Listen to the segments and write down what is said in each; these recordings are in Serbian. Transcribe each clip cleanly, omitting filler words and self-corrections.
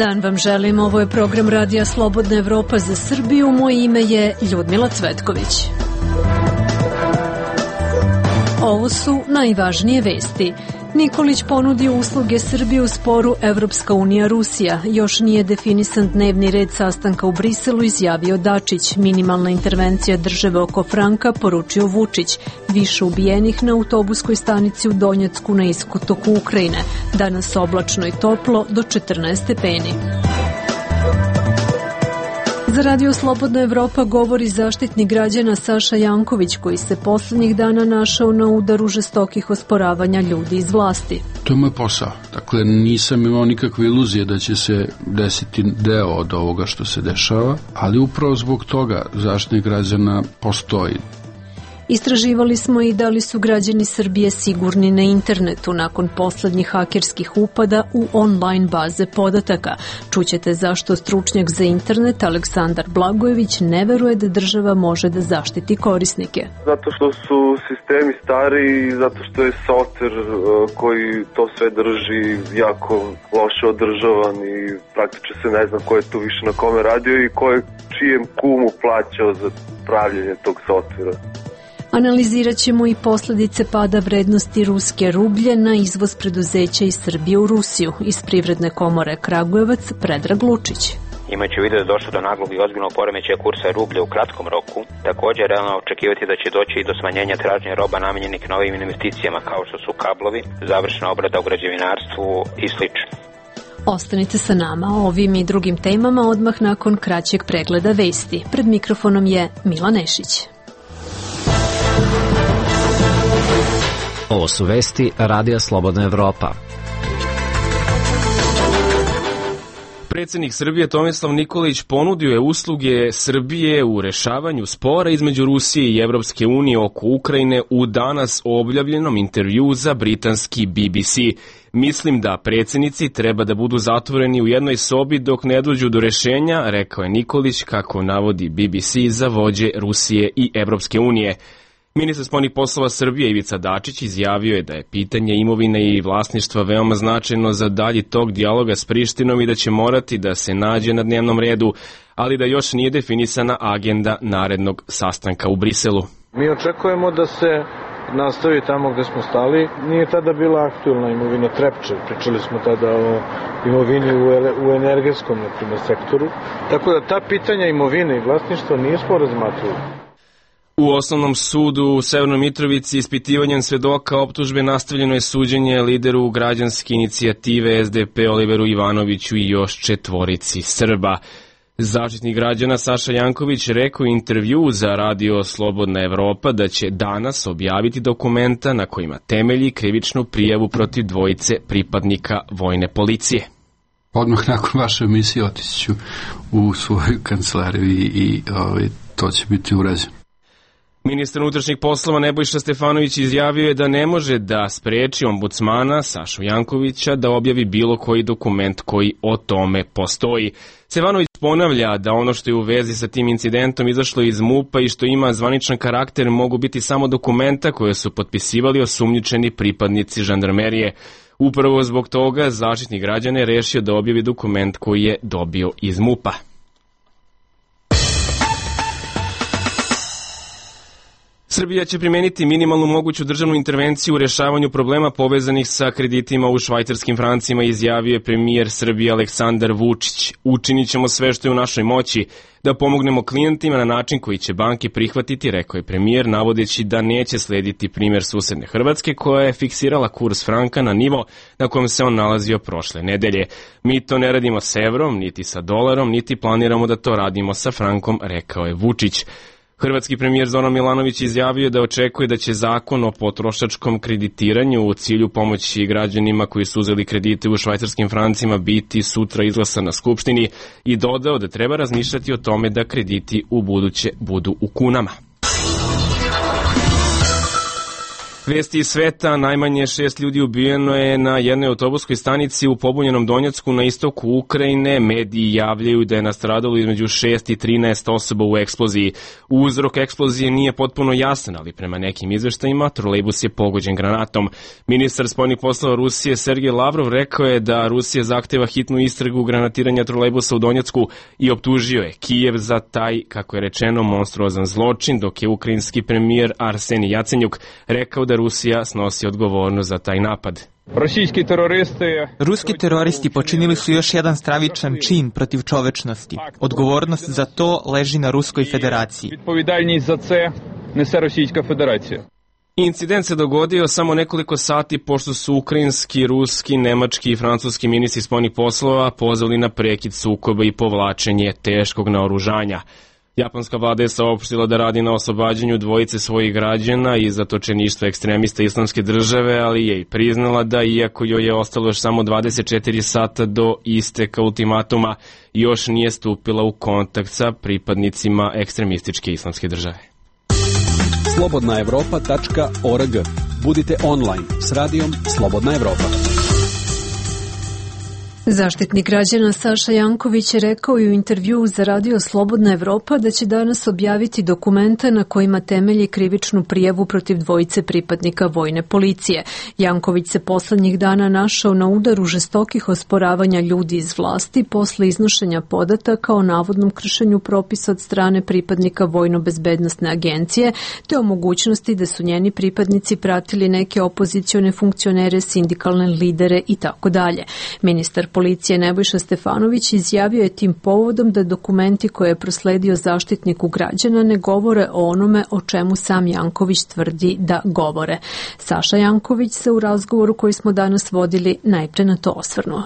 dan vam želim, ovo je program Radija Slobodna Evropa za Srbiju, moje ime je Ljudmila Cvetković. Ovo su najvažnije vesti. Nikolić ponudio usluge Srbije u sporu Evropska unija-Rusija. Još nije definisan dnevni red sastanka u Briselu, izjavio Dačić. Minimalna intervencija države oko franka, poručio Vučić. Više ubijenih na autobuskoj stanici u Donjecku na istoku Ukrajine. Danas oblačno i toplo do 14 stepeni. Za Radio Slobodna Evropa govori zaštitnik građana Saša Janković, koji se poslednjih dana našao na udaru žestokih osporavanja ljudi iz vlasti. To je moj posao. Dakle, nisam imao nikakve iluzije da će se desiti deo od ovoga što se dešava, ali upravo zbog toga zaštitnik građana postoji. Istraživali smo i da li su građani Srbije sigurni na internetu nakon poslednjih hakerskih upada u online baze podataka. Čućete zašto stručnjak za internet Aleksandar Blagojević ne veruje da država može da zaštiti korisnike. Zato što su sistemi stari i zato što je softver koji to sve drži jako loše održavan i praktično se ne zna ko je tu više na kome radio i ko je čijem kumu plaćao za pravljenje tog softvera. Analizirat ćemo i posledice pada vrednosti ruske rublje na izvoz preduzeća iz Srbije u Rusiju. Iz Privredne komore Kragujevac, Predrag Lučić. Imajući u vidu da je došlo do naglog i ozbiljnog poremećaja kursa rublja u kratkom roku, također je realno očekivati da će doći i do smanjenja tražnje roba namenjenih novim investicijama kao što su kablovi, završna obrada u građevinarstvu i sl. Ostanite sa nama o ovim i drugim temama odmah nakon kraćeg pregleda vesti. Pred mikrofonom je Mila Nešić. Ovo su vesti Radija Slobodna Evropa. Predsjednik Srbije Tomislav Nikolić ponudio je usluge Srbije u rešavanju spora između Rusije i Evropske unije oko Ukrajine u danas objavljenom intervjuu za britanski BBC. Mislim da predsjednici treba da budu zatvoreni u jednoj sobi dok ne dođu do rešenja, rekao je Nikolić, kako navodi BBC za vođe Rusije i Evropske unije. Ministar spoljnih poslova Srbije Ivica Dačić izjavio je da je pitanje imovine i vlasništva veoma značajno za dalji tok dijaloga s Prištinom i da će morati da se nađe na dnevnom redu, ali da još nije definisana agenda narednog sastanka u Briselu. Mi očekujemo da se nastavi tamo gde smo stali. Nije tada bila aktuelna imovina Trepče, pričali smo tada o imovini u energetskom, na primjer, sektoru. Tako da ta pitanja imovine i vlasništva nismo razmatrali. U Osnovnom sudu u Severnoj Mitrovici ispitivanjem svedoka optužbe nastavljeno je suđenje lideru građanske inicijative SDP Oliveru Ivanoviću i još 4 Srba. Zaštitnik građana Saša Janković rekao u intervju za Radio Slobodna Evropa da će danas objaviti dokumenta na kojima temelji krivičnu prijavu protiv 2 pripadnika vojne policije. Odmah nakon vaše emisije otići ću u svoju kancelariju i to će biti urađeno. Ministar unutrašnjih poslova Nebojša Stefanović izjavio je da ne može da spreči ombudsmana Sašu Jankovića da objavi bilo koji dokument koji o tome postoji. Stefanović ponavlja da ono što je u vezi sa tim incidentom izašlo iz MUP-a i što ima zvaničan karakter mogu biti samo dokumenta koje su potpisivali osumnjičeni pripadnici žandarmerije. Upravo zbog toga Zaštitnik građana je rešio da objavi dokument koji je dobio iz MUP-a. Srbija će primeniti minimalnu moguću državnu intervenciju u rešavanju problema povezanih sa kreditima u švajcarskim francima, izjavio je premijer Srbije Aleksandar Vučić. Učinit ćemo sve što je u našoj moći da pomognemo klijentima na način koji će banke prihvatiti, rekao je premijer, navodeći da neće slediti primjer susedne Hrvatske koja je fiksirala kurs franka na nivo na kojem se on nalazio prošle nedelje. Mi to ne radimo s evrom, niti sa dolarom, niti planiramo da to radimo sa frankom, rekao je Vučić. Hrvatski premijer Zoran Milanović izjavio da očekuje da će zakon o potrošačkom kreditiranju u cilju pomoći građanima koji su uzeli kredite u švajcarskim francima biti sutra izglasan na Skupštini i dodao da treba razmišljati o tome da krediti u buduće budu u kunama. Vesti iz sveta, najmanje 6 ljudi ubijeno je na jednoj autobuskoj stanici u pobunjenom Donjecku na istoku Ukrajine. Mediji javljaju da je nastradalo između 6 i 13 osoba u eksploziji. Uzrok eksplozije nije potpuno jasan, ali prema nekim izveštajima trolejbus je pogođen granatom. Ministar spoljnih poslova Rusije Sergej Lavrov rekao je da Rusija zahteva hitnu istragu granatiranja trolejbusa u Donjecku i optužio je Kijev za taj, kako je rečeno, monstruozan zločin, dok je ukrajinski premijer Arsenij Jacenjuk rekao da Rusija snosi odgovornost za taj napad. Ruski teroristi počinili su još jedan stravičan čin protiv čovečnosti. Odgovornost za to leži na Ruskoj federaciji. Incident se dogodio samo nekoliko sati pošto su ukrajinski, ruski, nemački i francuski ministri spoljnih poslova pozvali na prekid sukoba i povlačenje teškog naoružanja. Japanska vlada je saopštila da radi na oslobađanju dvojice svojih građana iz zatočeništva ekstremista Islamske države, ali je i priznala da iako joj je ostalo još samo 24 sata do isteka ultimatuma, još nije stupila u kontakt sa pripadnicima ekstremističke Islamske države. slobodnaevropa.org. Budite online s radijom Slobodna Evropa. Zaštitnik građana Saša Janković je rekao i u intervjuu za radio Slobodna Evropa da će danas objaviti dokumenta na kojima temelji krivičnu prijavu protiv dvojice pripadnika vojne policije. Janković se poslednjih dana našao na udaru žestokih osporavanja ljudi iz vlasti posle iznošenja podataka o navodnom kršenju propisa od strane pripadnika Vojno-bezbednosne agencije, te o mogućnosti da su njeni pripadnici pratili neke opozicione funkcionere, sindikalne lidere i tako dalje. Ministar policije Nebojša Stefanović izjavio je tim povodom da dokumenti koje je prosledio Zaštitniku građana ne govore o onome o čemu sam Janković tvrdi da govore. Saša Janković se u razgovoru koji smo danas vodili najpre na to osvrnuo.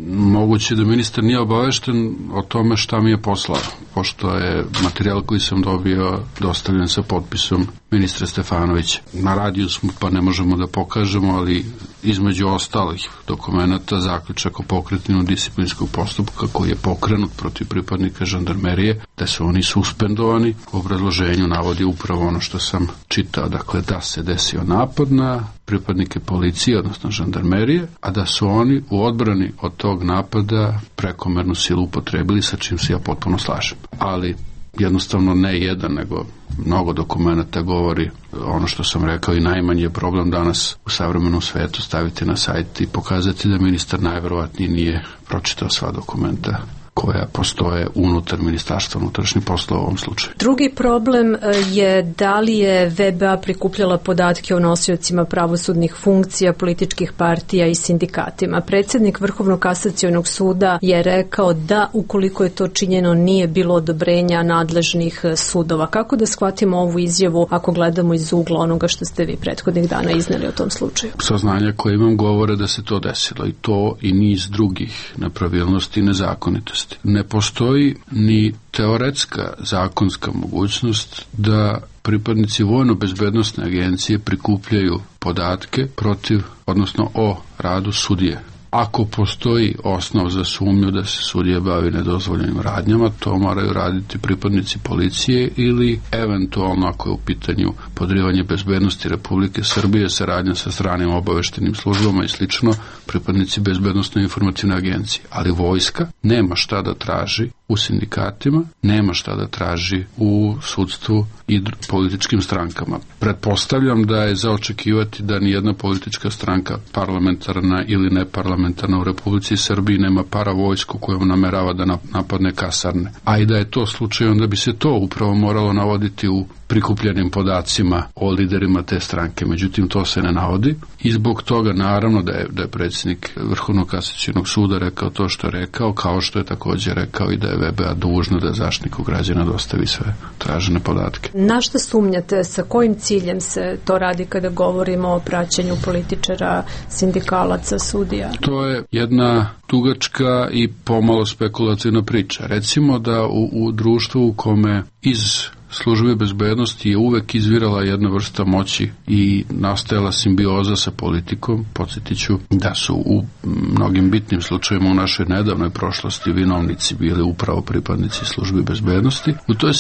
Moguće da ministar nije obavešten o tome šta mi je poslao, pošto je materijal koji sam dobio dostavljen sa potpisom ministra Stefanovića. Na radiju smo pa ne možemo da pokažemo, ali između ostalih dokumenta zaključak o pokretanju disciplinskog postupka koji je pokrenut protiv pripadnika žandarmerije, da su oni suspendovani. U obrazloženju navodi upravo ono što sam čitao, dakle da se desio napad na pripadnike policije, odnosno žandarmerije, a da su oni u odbrani od tog napada prekomernu silu upotrebili, sa čim se ja potpuno slažem. Ali jednostavno ne jedan, nego mnogo dokumenta govori ono što sam rekao i najmanji je problem danas u savremenom svetu staviti na sajt i pokazati da ministar najverovatnije nije pročitao sva dokumenta koja postoje unutar Ministarstva unutrašnjih poslova u ovom slučaju. Drugi problem je da li je VBA prikupljala podatke o nosiocima pravosudnih funkcija, političkih partija i sindikatima. Predsjednik Vrhovnog kasacionog suda je rekao da ukoliko je to činjeno nije bilo odobrenja nadležnih sudova. Kako da shvatimo ovu izjavu ako gledamo iz ugla onoga što ste vi prethodnih dana izneli o tom slučaju? Saznanja koje imam govore da se to desilo i to i niz drugih nepravilnosti i nezakonitosti. Ne postoji ni teoretska zakonska mogućnost da pripadnici Vojno-bezbednosne agencije prikupljaju podatke protiv, odnosno o radu sudije. Ako postoji osnov za sumnju da se sudija bavi nedozvoljenim radnjama, to moraju raditi pripadnici policije ili eventualno ako je u pitanju podrivanje bezbednosti Republike Srbije, saradnja sa stranim obaveštenim službama i slično, pripadnici bezbednosno informativne agencije. Ali vojska nema šta da traži u sindikatima, nema šta da traži u sudstvu i političkim strankama. Pretpostavljam da je za očekivati da nijedna politička stranka, parlamentarna ili neparlamentarna u Republici Srbiji, nema paravojsku kojom namerava da napadne kasarne. A i da je to slučaj, onda bi se to upravo moralo navoditi u prikupljenim podacima o liderima te stranke. Međutim, to se ne navodi i zbog toga naravno da je predsjednik Vrhovnog kasacionog suda rekao to što je rekao, kao što je također rekao i da je VBA dužna da Zaštitniku građana dostavi sve tražene podatke. Na što sumnjate, sa kojim ciljem se to radi kada govorimo o praćenju političara, sindikalaca, sudija? To je jedna dugačka i pomalo spekulativna priča. Recimo da u društvu u kome iz službe bezbednosti je uvek izvirala jedna vrsta moći i nastajala simbioza sa politikom. Podsjetiću da su u mnogim bitnim slučajima u našoj nedavnoj prošlosti vinovnici bili upravo pripadnici službe bezbednosti. U toj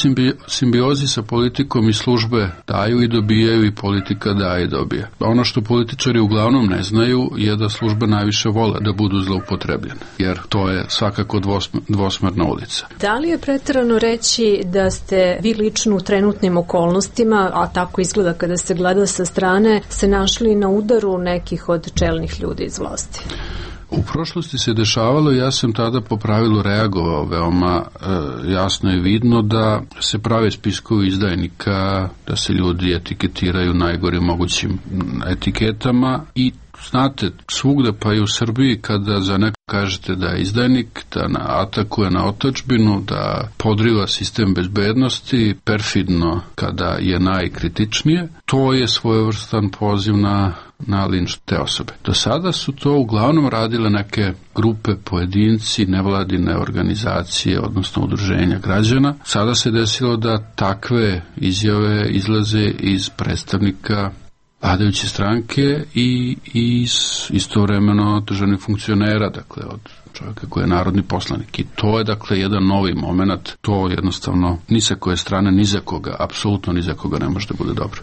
simbiozi sa politikom i službe daju i dobijaju i politika daje i dobije. Ono što političari uglavnom ne znaju je da službe najviše vole da budu zloupotrebljene, jer to je svakako dvosmerna ulica. Da li je preterano reći da ste vi lično u trenutnim okolnostima, a tako izgleda kada se gleda sa strane, se našli na udaru nekih od čelnih ljudi iz vlasti? U prošlosti se dešavalo, ja sam tada po pravilu reagovao veoma jasno i vidno da se prave spiskovi izdajnika, da se ljudi etiketiraju najgorim mogućim etiketama i znate, svugde pa i u Srbiji kada za neko kažete da je izdajnik, da atakuje na otadžbinu, da podriva sistem bezbednosti, perfidno kada je najkritičnije, to je svojevrstan poziv na linč te osobe. Do sada su to uglavnom radile neke grupe, pojedinci, nevladine organizacije, odnosno udruženja građana. Sada se desilo da takve izjave izlaze iz predstavnika vladajuće stranke i istovremeno državnih funkcionera, dakle od čovjeka koji je narodni poslanik. I to je dakle jedan novi moment, to jednostavno ni sa koje strane, ni za koga, apsolutno ni za koga ne može da bude dobro.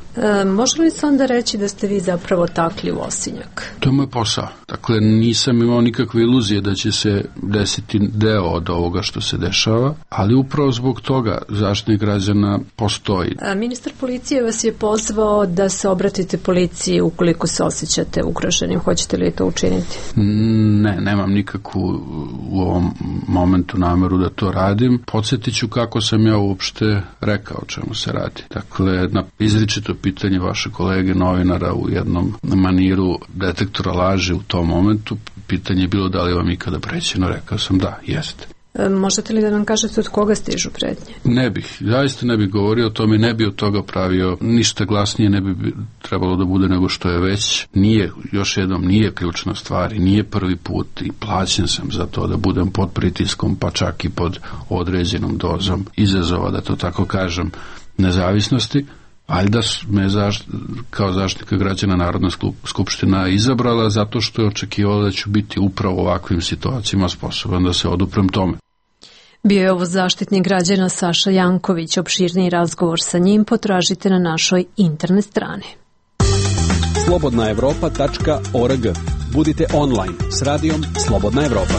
Može li se onda reći da ste vi zapravo takli u osinjak? To je moj posao. Dakle, nisam imao nikakve iluzije da će se desiti deo od ovoga što se dešava, ali upravo zbog toga Zaštitnik građana postoji. Ministar policije vas je pozvao da se obratite policiji ukoliko se osjećate ugroženim. Hoćete li to učiniti? Ne, nemam nikakvu u ovom momentu nameru da to radim. Podsjetit ću kako sam ja uopšte rekao o čemu se radi. Dakle, na izričito pitanje vaše kolege novinara u jednom maniru detektora laži u tom momentu, pitanje je bilo da li vam ikada prećeno, rekao sam da, jeste. Možete li da nam kažete od koga stižu pretnje? Ne bih, zaista ne bih govorio o tome i ne bih od toga pravio ništa glasnije, ne bi trebalo da bude nego što je već. Nije, još jednom, nije ključna stvar i nije prvi put i plaćen sam za to da budem pod pritiskom, pa čak i pod određenom dozom izazova, da to tako kažem, nezavisnosti. Ali da me kao zaštitnika građana Narodna skupština izabrala zato što je očekivala da ću biti upravo u ovakvim situacijama sposoban da se oduprem tome. Bio je ovo Zaštitnik građana Saša Janković. Opširniji razgovor sa njim potražite na našoj internet strani. slobodnaevropa.org. Budite online s radijom Slobodna Evropa.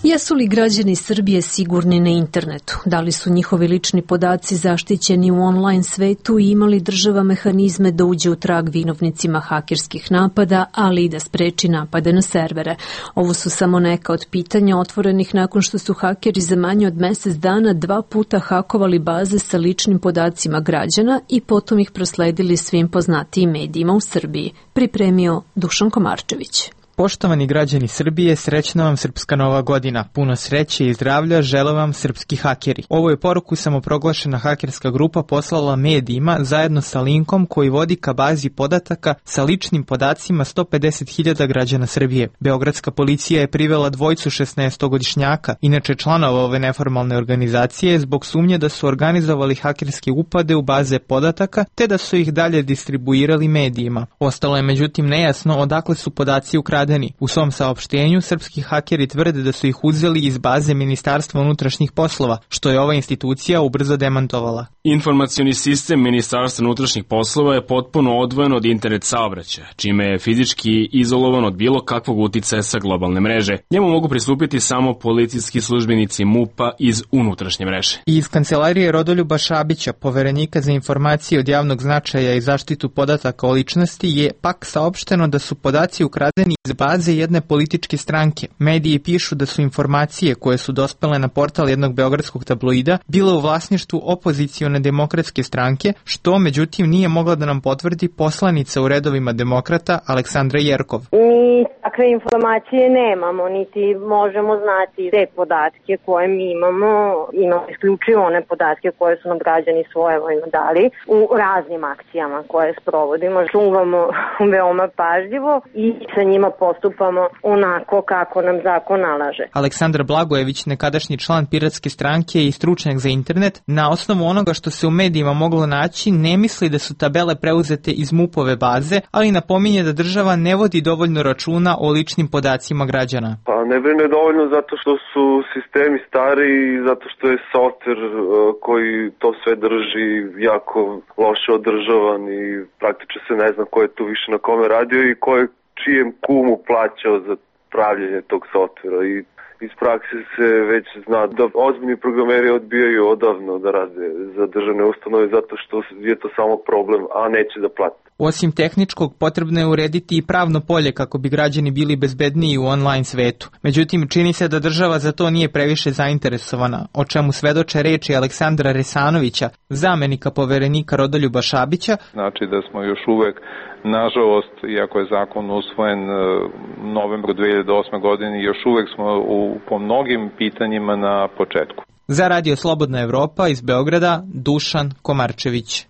Jesu li građani Srbije sigurni na internetu? Da li su njihovi lični podaci zaštićeni u online svetu i imali država mehanizme da uđe u trag vinovnicima hakerskih napada, ali i da spreči napade na servere? Ovo su samo neka od pitanja otvorenih nakon što su hakeri za manje od mesec dana 2 puta hakovali baze sa ličnim podacima građana i potom ih prosledili svim poznatijim medijima u Srbiji. Pripremio Dušan Komarčević. Poštovani građani Srbije, srećna vam Srpska nova godina. Puno sreće i zdravlja žele vam srpski hakeri. Ovo je poruku samoproglašena hakerska grupa poslala medijima zajedno sa linkom koji vodi ka bazi podataka sa ličnim podacima 150.000 građana Srbije. Beogradska policija je privela dvojicu 16-godišnjaka, inače članova ove neformalne organizacije, zbog sumnje da su organizovali hakerske upade u baze podataka, te da su ih dalje distribuirali medijima. Ostalo je međutim nejasno odakle su podaci ukradeni. U svom saopštenju srpski hakeri tvrde da su ih uzeli iz baze Ministarstva unutrašnjih poslova, što je ova institucija ubrzo demantovala. Informacioni sistem Ministarstva unutrašnjih poslova je potpuno odvojen od internet saobraćaja, čime je fizički izolovan od bilo kakvog uticaja sa globalne mreže. Njemu mogu pristupiti samo policijski službenici MUP-a iz unutrašnje mreže. Iz kancelarije Rodoljuba Šabića, poverenika za informacije od javnog značaja i zaštitu podataka o ličnosti, je pak saopšteno da su podaci ukradeni iz baze jedne političke stranke. Mediji pišu da su informacije koje su dospele na portal jednog beogradskog tabloida bile u vlasništvu opozicione Liberalno-konzervativne demokratske stranke, što međutim nije mogla da nam potvrdi poslanica u redovima demokrata Aleksandra Jerkov. Mi takve informacije nemamo, niti možemo znati te podatke koje mi imamo isključivo one podatke koje su nam građani svojevoljno dali u raznim akcijama koje sprovodimo. Čuvamo veoma pažljivo i sa njima postupamo onako kako nam zakon nalaže. Aleksandar Blagojević, nekadašnji član Piratske stranke i stručnjak za internet, na osnovu onoga što se u medijima moglo naći, ne misli da su tabele preuzete iz MUP-ove baze, ali napominje da država ne vodi dovoljno računa o ličnim podacima građana. Pa ne brine dovoljno zato što su sistemi stari i zato što je softver koji to sve drži jako loše održavan i praktično se ne zna ko je tu više na kome radio i ko je čijem kumu plaćao za pravljenje tog softvera. I iz prakse se već zna da ozbiljni programeri odbijaju odavno da rade za državne ustanove zato što je to samo problem, a neće da plate. Osim tehničkog, potrebno je urediti i pravno polje kako bi građani bili bezbedniji u online svetu. Međutim, čini se da država za to nije previše zainteresovana, o čemu svedoče reči Aleksandra Resanovića, zamenika poverenika Rodoljuba Šabića. Znači da smo još uvek, nažalost, iako je zakon usvojen novembru 2008. godine, još uvek smo po mnogim pitanjima na početku. Za Radio Slobodna Evropa iz Beograda, Dušan Komarčević.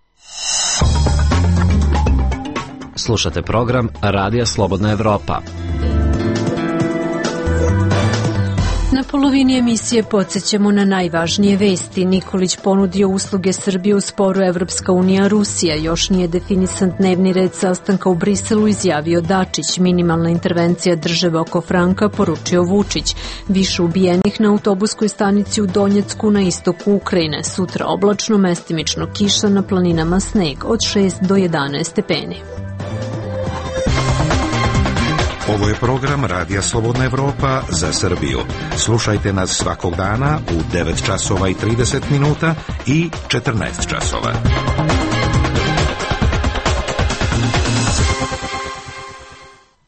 Slušate program Radija Slobodna Evropa. Na polovini emisije podsjećamo na najvažnije vesti. Nikolić ponudio usluge Srbije u sporu Evropska unija Rusija. Još nije definisan dnevni red sastanka u Briselu, izjavio Dačić. Minimalna intervencija države oko franka, poručio Vučić. Više ubijenih na autobuskoj stanici u Donjecku na istoku Ukrajine. Sutra oblačno, mestimično kiša, na planinama sneg od 6 do 11 stepeni. Ovo je program Radija Slobodna Evropa za Srbiju. Slušajte nas svakog dana u 9 časova i 30 minuta i 14 časova.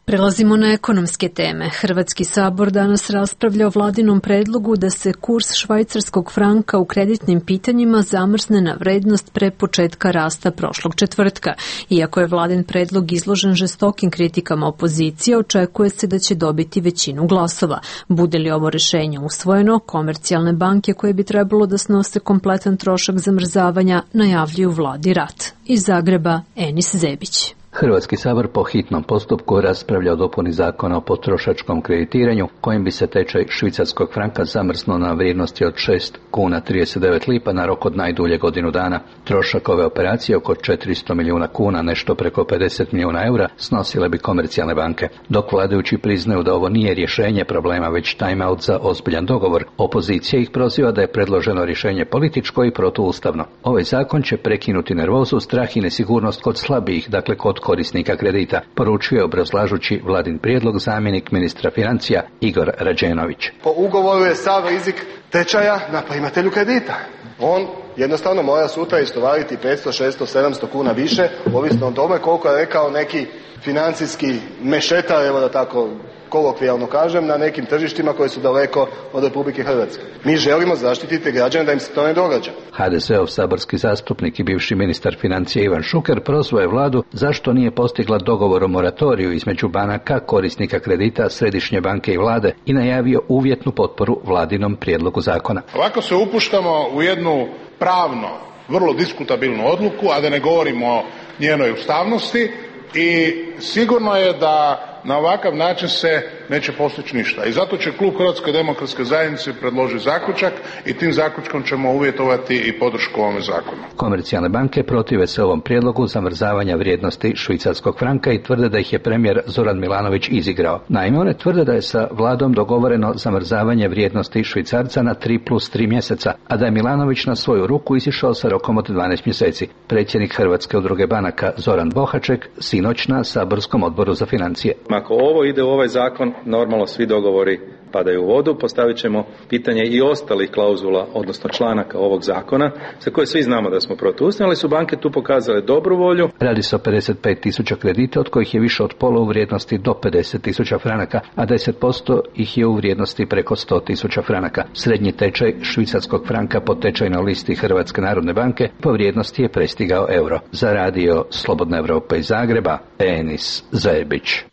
Prelazimo na ekonomske teme. Hrvatski sabor danas raspravlja o vladinom predlogu da se kurs švajcarskog franka u kreditnim pitanjima zamrzne na vrednost pre početka rasta prošlog četvrtka. Iako je vladin predlog izložen žestokim kritikama opozicije, očekuje se da će dobiti većinu glasova. Bude li ovo rešenje usvojeno, komercijalne banke koje bi trebalo da snose kompletan trošak zamrzavanja najavljuju vladi rat. Iz Zagreba, Enis Zebić. Hrvatski sabor po hitnom postupku raspravlja o dopuni zakona o potrošačkom kreditiranju, kojim bi se tečaj švicarskog franka zamrznuo na vrijednosti od 6 kuna 39 lipa na rok od najdulje godinu dana. Trošak ove operacije, oko 400 milijuna kuna, nešto preko 50 milijuna eura, snosile bi komercijalne banke. Dok vladajući priznaju da ovo nije rješenje problema, već time-out za ozbiljan dogovor, opozicija ih proziva da je predloženo rješenje političko i protuustavno. Ovaj zakon će prekinuti nervozu, strah i nesigurnost kod slabijih, dakle kod korisnika kredita, poručuje obrazlažući vladin prijedlog zamjenik ministra financija Igor Rađenović. Po ugovoru je sav rizik tečaja na primatelju kredita. On jednostavno mora sutra istovariti 500, 600, 700 kuna više, ovisno o tome koliko je rekao neki financijski mešetar, evo da tako kolokvijalno kažem, na nekim tržištima koje su daleko od Republike Hrvatske. Mi želimo zaštititi građane da im se to ne događa. HDZ-ov saborski zastupnik i bivši ministar financija Ivan Šuker prozvao je vladu zašto nije postigla dogovor o moratoriju između banaka, korisnika kredita, Središnje banke i vlade i najavio uvjetnu potporu vladinom prijedlogu zakona. Ovako se upuštamo u jednu pravno vrlo diskutabilnu odluku, a da ne govorimo o njenoj ustavnosti, i sigurno je da na ovakav način se neće postići ništa. I zato će klub Hrvatske demokratske zajednice predložiti zaključak i tim zaključkom ćemo uvjetovati i podršku ovome zakonu. Komercijalne banke protive se ovom prijedlogu zamrzavanja vrijednosti švicarskog franka i tvrde da ih je premijer Zoran Milanović izigrao. Naime, one tvrde da je sa vladom dogovoreno zamrzavanje vrijednosti švicarca na 3+3 mjeseca, a da je Milanović na svoju ruku izišao sa rokom od 12 mjeseci. Predsjednik Hrvatske udruge banaka Zoran Bohaček sinoć na saborskom odboru za financije. Ako ovo ide u ovaj zakon, normalno svi dogovori padaju u vodu. Postavit ćemo pitanje i ostalih klauzula, odnosno članaka ovog zakona, za koje svi znamo da smo protuustavni, ali su banke tu pokazale dobru volju. Radi se o 55.000 kredita, od kojih je više od pola u vrijednosti do 50.000 franaka, a 10% ih je u vrijednosti preko 100.000 franaka. Srednji tečaj švicarskog franka po tečajnoj listi Hrvatske narodne banke po vrijednosti je prestigao euro. Za radio Slobodna Evropa iz Zagreba, Enis Zajebić.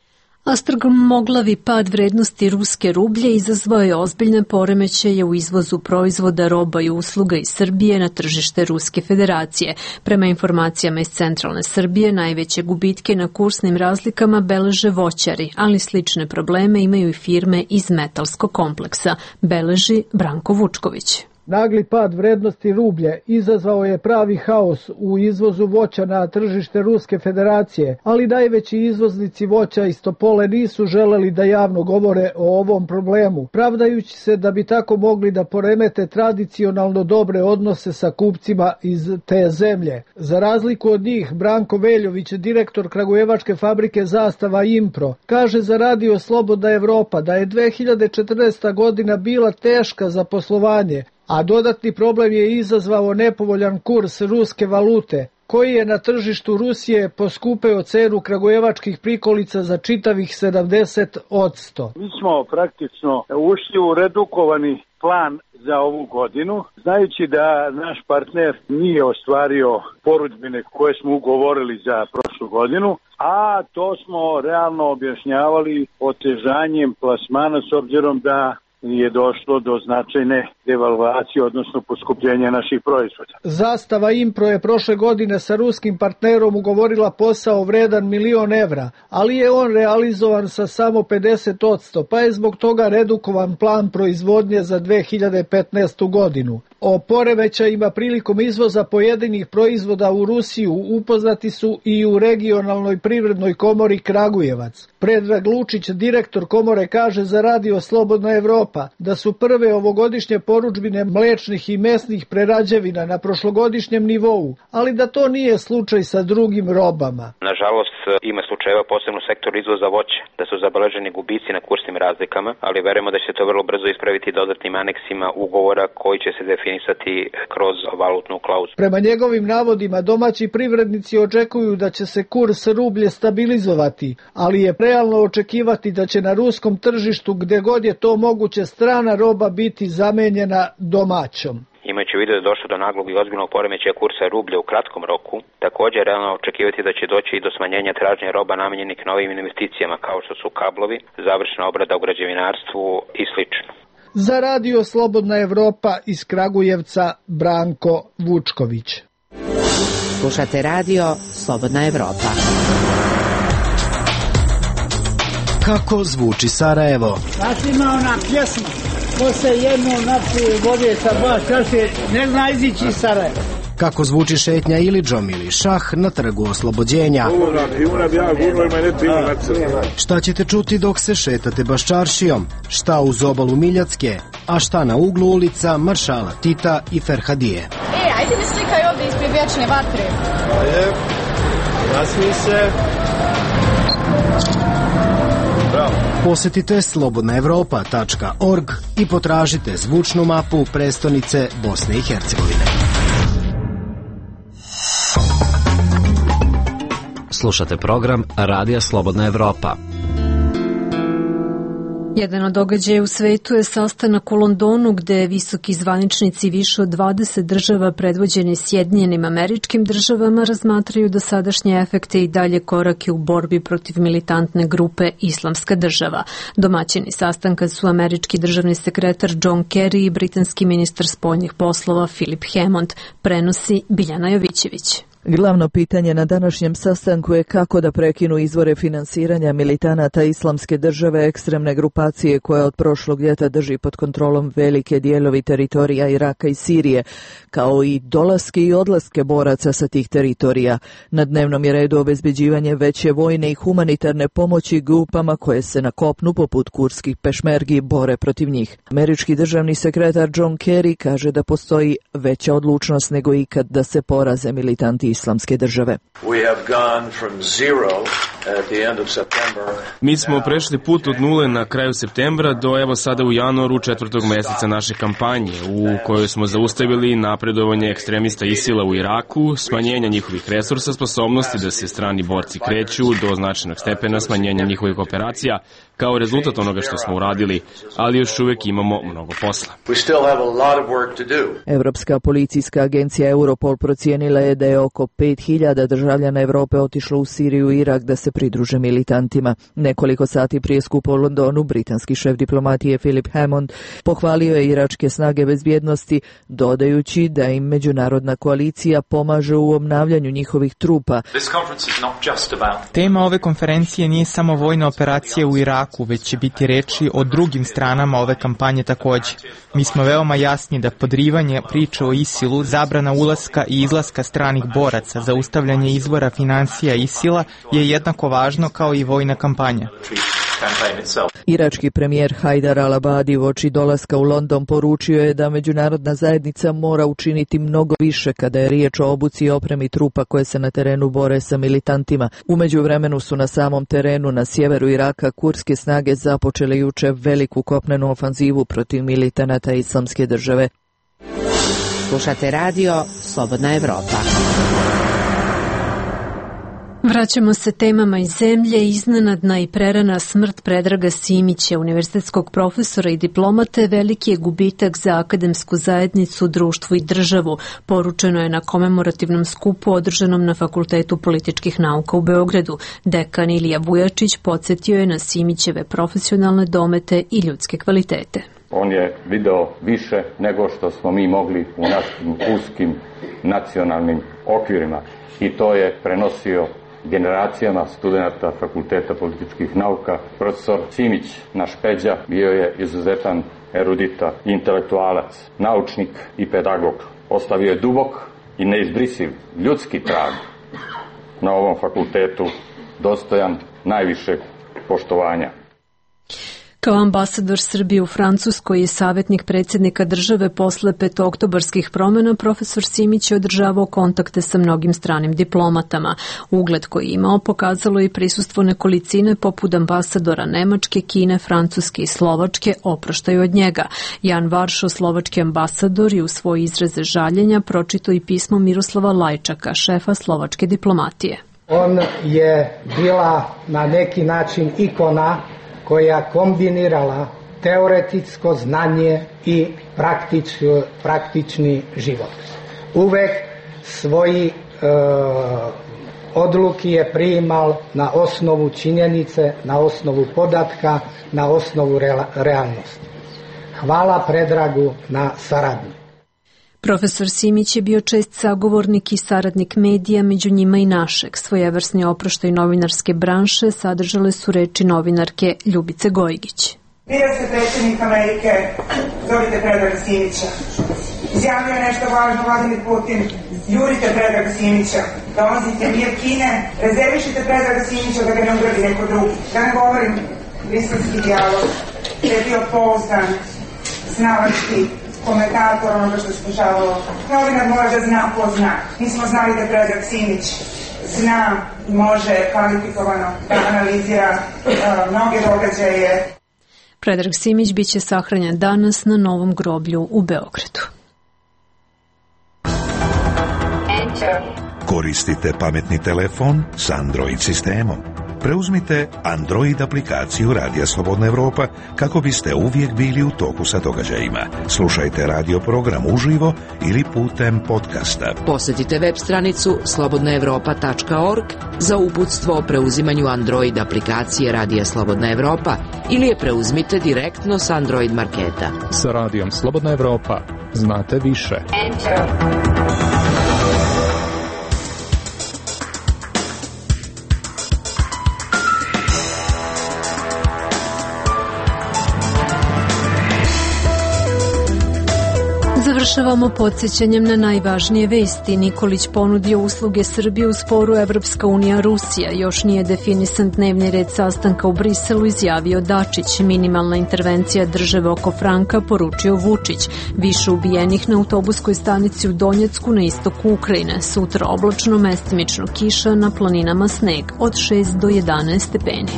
A strmoglavi pad vrednosti ruske rublje izazvao je ozbiljne poremećaje u izvozu proizvoda, roba i usluga iz Srbije na tržište Ruske federacije. Prema informacijama iz centralne Srbije, najveće gubitke na kursnim razlikama beleže voćari, ali slične probleme imaju i firme iz metalskog kompleksa, beleži Branko Vučković. Nagli pad vrednosti rublje izazvao je pravi haos u izvozu voća na tržište Ruske federacije, ali najveći izvoznici voća iz Topole nisu želeli da javno govore o ovom problemu, pravdajući se da bi tako mogli da poremete tradicionalno dobre odnose sa kupcima iz te zemlje. Za razliku od njih, Branko Veljović, direktor kragujevačke fabrike Zastava Impro, kaže za radio Slobodna Evropa da je 2014. godina bila teška za poslovanje, a dodatni problem je izazvao nepovoljan kurs ruske valute, koji je na tržištu Rusije poskupeo cenu kragujevačkih prikolica za čitavih 70%. Mi smo praktično ušli u redukovani plan za ovu godinu, znajući da naš partner nije ostvario porudžbine koje smo ugovorili za prošlu godinu, a to smo realno objašnjavali otežanjem plasmana s obzirom da je došlo do značajne devalvacije, odnosno poskupljenja naših proizvoda. Zastava Impro je prošle godine sa ruskim partnerom ugovorila posao vredan 1.000.000 evra, ali je on realizovan sa samo 50%, pa je zbog toga redukovan plan proizvodnje za 2015. godinu. O poremećajima prilikom izvoza pojedinih proizvoda u Rusiju upoznati su i u regionalnoj privrednoj komori Kragujevac. Predrag Lučić, direktor komore, kaže za radio Slobodna Evropa da su prve ovogodišnje porudžbine mlečnih i mesnih prerađevina na prošlogodišnjem nivou, ali da to nije slučaj sa drugim robama. Nažalost, ima slučajeva posebno u sektoru izvoza voća, da su zabeleženi gubici na kursnim razlikama, ali verujemo da će to vrlo brzo ispraviti dodatnim aneksima ugovora koji će se definisati kroz valutnu klauzu. Prema njegovim navodima, domaći privrednici očekuju da će se kurs rublje stabilizovati, ali je realno očekivati da će na ruskom tržištu, gde god je to moguće, strana roba biti zamenjena domaćom. Imajući u vidu da je došlo do naglog i ozbiljnog poremećaja kursa rublja u kratkom roku, također je realno očekivati da će doći i do smanjenja tražnje roba namenjenih novim investicijama kao što su kablovi, završna obrada u građevinarstvu i sl. Za radio Slobodna Evropa iz Kragujevca, Branko Vučković. Slušate radio Slobodna Evropa. Kako zvuči Sarajevo? Znači ima ona pjesma, ko se jednu napije vode sa 2 čaše, ne zna izići iz Sarajeva. Kako zvuči šetnja Ilidžom ili šah na trgu Oslobođenja? Šta ćete čuti dok se šetate Baščaršijom? Šta uz obalu Miljacke? A šta na uglu ulica Maršala Tita i Ferhadije? Ajde mi slikaj ovdje ispred vječne vatre. Ajde, nasmij se. Bravo. Posetite slobodnaevropa.org i potražite zvučnu mapu prestonice Bosne i Hercegovine. Slušate program Radija Slobodna Evropa. Jedan od događaja u svetu je sastanak u Londonu gde visoki zvaničnici više od 20 država predvođeni Sjedinjenim Američkim Državama razmatraju dosadašnje efekte i dalje korake u borbi protiv militantne grupe Islamska država. Domaćini sastanka su američki državni sekretar John Kerry i britanski ministar spoljnih poslova Philip Hammond, prenosi Biljana Jovićević. Glavno pitanje na današnjem sastanku je kako da prekinu izvore finansiranja militanata Islamske države, ekstremne grupacije koja od prošlog ljeta drži pod kontrolom velike dijelovi teritorija Iraka i Sirije, kao i dolaske i odlaske boraca sa tih teritorija. Na dnevnom je redu obezbeđivanje veće vojne i humanitarne pomoći grupama koje se na kopnu poput kurdskih pešmergi bore protiv njih. Američki državni sekretar John Kerry kaže da postoji veća odlučnost nego ikad da se poraze militanti Islamske države. We have gone from 0 Mi smo prešli put od nule na kraju septembra do evo sada u januaru 4. meseca naše kampanje, u kojoj smo zaustavili napredovanje ekstremista ISIL-a u Iraku, smanjenja njihovih resursa, sposobnosti da se strani borci kreću do značajnog stepena smanjenja njihovih operacija, kao rezultat onoga što smo uradili, ali još uvek imamo mnogo posla. Evropska policijska agencija Europol procijenila je da je oko 5000 državljana Evrope otišlo u Siriju i Irak da se pridruže militantima. Nekoliko sati prije skupa u Londonu, britanski šef diplomatije Philip Hammond pohvalio je iračke snage bezbjednosti, dodajući da im međunarodna koalicija pomaže u obnavljanju njihovih trupa. Tema ove konferencije nije samo vojna operacija u Iraku, već će biti reči o drugim stranama ove kampanje takođe. Mi smo veoma jasni da podrivanje priče o ISIL-u, zabrana ulaska i izlaska stranih boraca, zaustavljanje izvora financija ISIL-a je jednako važno kao i vojna kampanja. Irački premijer Hajdar al-Abadi uoči dolaska u London poručio je da međunarodna zajednica mora učiniti mnogo više kada je riječ o obuci i opremi trupa koje se na terenu bore sa militantima. U međuvremenu su na samom terenu na sjeveru Iraka kurdske snage započele juče veliku kopnenu ofanzivu protiv militanata Islamske države. Slušate radio Slobodna Evropa. Vraćamo se temama iz zemlje. Iznenadna i prerana smrt Predraga Simića, univerzitetskog profesora i diplomate, veliki je gubitak za akademsku zajednicu, društvo i državu, poručeno je na komemorativnom skupu održanom na Fakultetu političkih nauka u Beogradu. Dekan Ilija Vujačić podsjetio je na Simićeve profesionalne domete i ljudske kvalitete. On je video više nego što smo mi mogli u našim uskim nacionalnim okvirima i to je prenosio generacijama studenta Fakulteta političkih nauka. Profesor Simić, naš Peđa, bio je izuzetan erudita, intelektualac, naučnik i pedagog. Ostavio je dubok i neizbrisiv ljudski trag na ovom fakultetu, dostojan najvišeg poštovanja. Kao ambasador Srbije u Francuskoj i savjetnik predsjednika države posle petooktobarskih promjena, profesor Simić je održavao kontakte sa mnogim stranim diplomatama. Ugled koji je imao pokazalo i prisustvo nekolicine poput ambasadora Nemačke, Kine, Francuske i Slovačke opraštaju od njega. Jan Varšo, slovački ambasador, i u svoje izraze žaljenja pročitao i pismo Miroslava Lajčaka, šefa slovačke diplomatije. On je bila na neki način ikona koja kombinirala teoretsko znanje i praktični život. Uvek svoji odluki je priimal na osnovu činjenice, na osnovu podatka, na osnovu realnosti. Hvala Predragu na saradnju. Profesor Simić je bio čest sagovornik i saradnik medija, među njima i našeg. Svojevrsni oproštaj novinarske branše sadržale su reči novinarke Ljubice Gojgić. Bira se predsjednik Amerike, zovite Predraga Simića. Izjavio je nešto važno Vladimir Putin, jurite Predraga Simića, dolazite mir Kine, rezervišite Predraga Simića da ga ne ugradi neko drugi. Da ne govorim briselski dijalog, da je bio pouzdan, znalački komentator onoga što se dešavalo. Novinar mora da zna ko zna. Mi smo znali da Predrag Simić zna i može kvalifikovano da analizira mnoge događaje. Predrag Simić biće sahranjen danas na novom groblju u Beogradu. Koristite pametni telefon s Android sistemom. Preuzmite Android aplikaciju Radija Slobodna Evropa kako biste uvijek bili u toku sa događajima. Slušajte radio program uživo ili putem podcasta. Posjetite web stranicu slobodnaevropa.org za uputstvo o preuzimanju Android aplikacije Radija Slobodna Evropa ili je preuzmite direktno s Android marketa. Sa Radijom Slobodna Evropa znate više. Završavamo podsjećanjem na najvažnije vesti. Nikolić ponudio usluge Srbije u sporu Evropska unija Rusija. Još nije definisan dnevni red sastanka u Briselu, izjavio Dačić. Minimalna intervencija države oko franka, poručio Vučić. Više ubijenih na autobuskoj stanici u Donjecku na istoku Ukrajine. Sutra oblačno, mestimično kiša, na planinama sneg od 6 do 11 stepeni.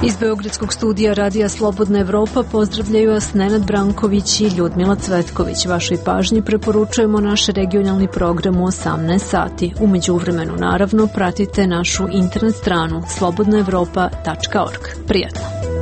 Iz Beogradskog studija Radija Slobodna Evropa pozdravljaju vas Nenad Branković i Ljudmila Cvetković. Vašoj pažnji preporučujemo naš regionalni program u 18 sati. U međuvremenu, naravno, pratite našu internet stranu slobodnaevropa.org. Prijatno!